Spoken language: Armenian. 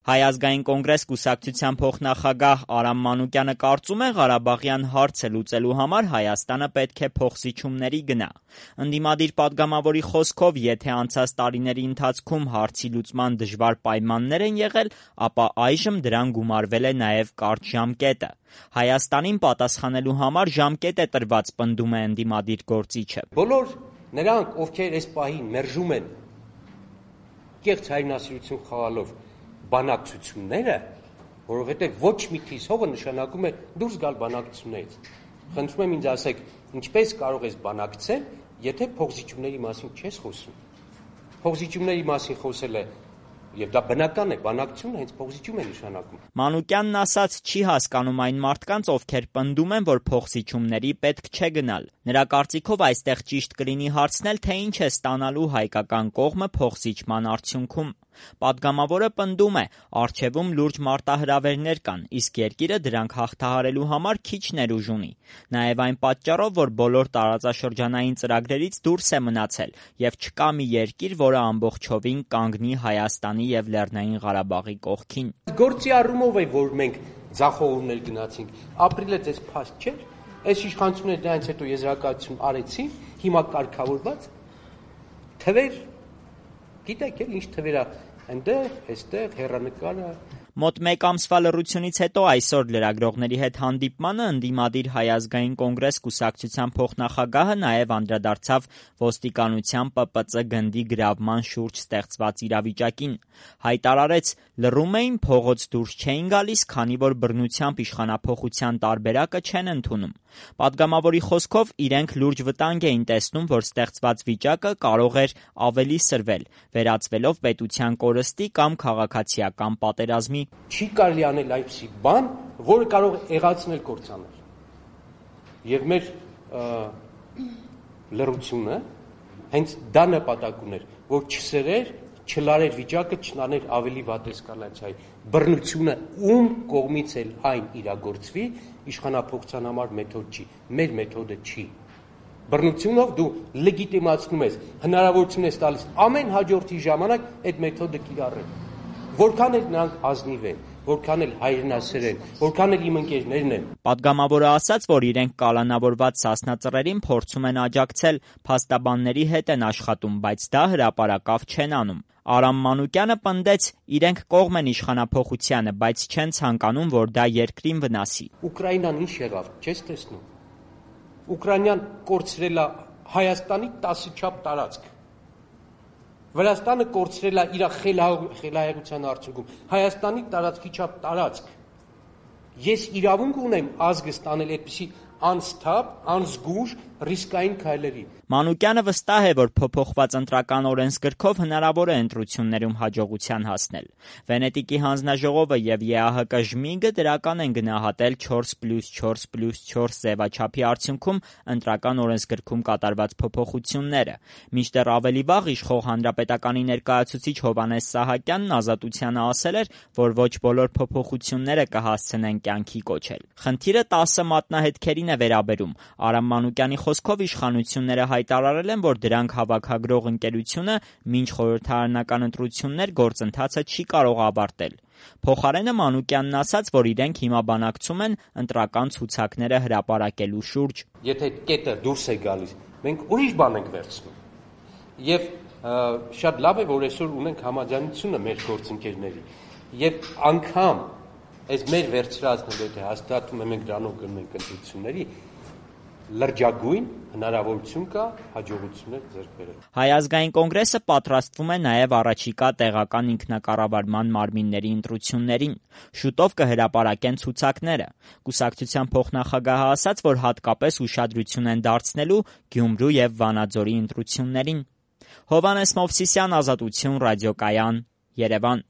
Հայ ազգային կոնգրես կուսակցության փոխնախագահ Արամ Մանուկյանը կարծում է, Ղարաբաղյան հարցը լուծելու համար Հայաստանը պետք է փոխզիջումների գնա։ Ընդդիմադիր պատգամավորի խոսքով, եթե անցած տարիների ընթացքում հարցի լուծման դժվար պայմաններ են եղել, ապա այժմ դրան գումարվել է նաև կարճ ժամկետը։ Հայաստանին պատասխանելու համար ժամկետ է տրված, պնդում է ընդդիմադիր գործիչը։ Բոլոր նրանք, ովքեր այս պահին մերժում են կեղծ հայրենասիրություն խաղալով բանակցությունները, որովհետև ոչ մի թիվ հողը նշանակում է դուրս գալ բանակցություններից։ Խնդրում եմ ինձ ասեք, ինչպես կարող ես բանակցել, եթե փոխզիջումների մասին չես խոսում։ Փոխզիջումների մասին խոսելը, եւ դա բնական է, բանակցությունը հենց փոխզիջում է նշանակում։ Մանուկյանն ասաց, չի հասկանում այն մարդկանց, ովքեր պնդում են, որ փոխզիջումների պետք չէ գնալ։ Նրա կարծիքով այստեղ ճիշտ կլինի հարցնել, թե ինչ է ստանալու հայկական կողմը փոխզիջման արդյունքում։ Պատգամավորը պնդում է, առջևում լուրջ մարտահրավերներ կան, իսկ երկիրը դրանք հաղթահարելու համար քիչ ներուժ ունի։ Նաև այն պատճառով, որ բոլոր տարածաշրջանային ծրագրերից դուրս է մնացել եւ չկա մի երկիր, որը ամբողջովին կանգնի Հայաստանի եւ Լեռնային Ղարաբաղի կողքին։ Գործի առումով է, որ մենք ձախողումներ գնացինք։ Ապրիլը ձեզ փաստ չէր։ Այս իշխանությունները դրանից հետո եզրակացություն արեցին, հիմա կարգավորված թվեր, գիտեք էլ ինչ թվեր է այնտեղ, այստեղ, հեռանկարը։ Մոտ մեկ ամսվա լռությունից հետո այսօր լրագրողների հետ հանդիպմանը ընդդիմադիր Հայ ազգային կոնգրես կուսակցության փոխնախագահը նաև անդրադարձավ ոստիկանության ՊՊԾ գնդի գրավման շուրջ ստեղծված իրավիճակին։ Հայտարարեց, լռում էին, փողոց դուրս չէին գալիս, քանի որ բռնությամբ իշխանափոխության տարբերակը չեն ընդունում։ Պատգամավորի խոսքով իրենք լուրջ վտանգ էին տեսնում, որ ստեղծված վիճակը կարող էր ավելի սրվել, վերածվելով պետության կորստի կամ քաղաքացիական պատերազմի։ Չի կարելի անել այնպիսի բան, որը կարող է եղացնել կործանել։ Եվ մեր լռությունը հենց դա նպատակ ուներ, որ չսրեր, չլարեր վիճակը, չնաներ ավելի վատ էսկալացիայի։ Բռնությունը ում կողմից էլ այն իրագործվի, իշխանափոխության համար մեթոդ չի, մեր մեթոդը չի։ Բռնությունով դու լեգիտիմացնում ես, հնարավորություն ես տալիս ամեն հաջորդի ժամանակ այդ մեթոդը կիրառել։ Որքան էլ նրանք ազնիվ են, որքան էլ հայրենասեր են, որքան էլ իմ ընկերներն են։ Պատգամավորը ասաց, որ իրենք կալանավորված Սասնա ծռերին փորձում են աջակցել, փաստաբանների հետ են աշխատում, բայց դա հրապարակավ չեն անում։ Արամ Մանուկյանը պնդեց, իրենք կողմ են իշխանափոխությանը, բայց չեն ցանկանում, որ դա երկրին վնասի։ Ուկրաինան ինչ եղավ, չես տեսնում։ Ուկրաինան կորցրել է Հայաստանի 10 չափ տարածք։ Վրաստանը կորցրել է իր խելահեղության արդյունքում Հայաստանի տարածքի չափ տարածք։ Ես իրավունք ունեմ ազգը ստանել այդպիսի անսթափ, անզգույշ, ռիսկային քայլերի։ Մանուկյանը վստահ է, որ փոփոխված ընտրական օրենսգրքով հնարավոր է ընտրություններում հաջողության հասնել։ Վենետիկի հանձնաժողովը եւ ԵԱՀԿ ժմիգը դրական են գնահատել 4+4+4 ձևաչափի արդյունքում ընտրական օրենսգրքում կատարված փոփոխությունները։ Մինչդեռ ավելի վաղ իշխող հանրապետականի ներկայացուցիչ Հովհաննես Սահակյանն Ազատությանը ասել էր, որ ոչ բոլոր փոփոխությունները կհասցնեն կյանքի կոչել։ Խնդիրը 10 մատնահետքերին է վերաբերում։ Արամ Մանուկյանի խոսքով իշխանությունները հայտարարել են, որ դրանք հավաքագրող ընկերությունը մինչ խորհրդարանական ընտրություններ գործընթացը չի կարող ավարտել։ Փոխարենը Մանուկյանն ասաց, որ իրենք հիմա բանակցում են ընտրական ցուցակները հրապարակելու շուրջ։ Եթե կետը դուրս է գալիս, մենք ուրիշ բան ենք վերցնում։ Եվ շատ լավ է, որ այսօր ունենք համաձայնությունը մեր գործընկերների։ Եվ անգամ այս մեր վերցրածն էլ եթե հաստատում ենք դրանով գնենք ընտրությունների, լրջագույն հնարավորություն կա հաջողություններ ձեռք բերել։ Հայ ազգային կոնգրեսը պատրաստվում է նաև առաջիկա տեղական ինքնակառավարման մարմինների ընտրություններին։ Շուտով կհրապարակեն ցուցակները։ Կուսակցության փոխնախագահը ասաց, որ հատկապես ուշադրություն են դարձնելու Գյումրու եւ Վանաձորի ընտրություններին։ Հովհաննես Մովսիսյան, Ազատություն, ռադիոկայան, Երևան։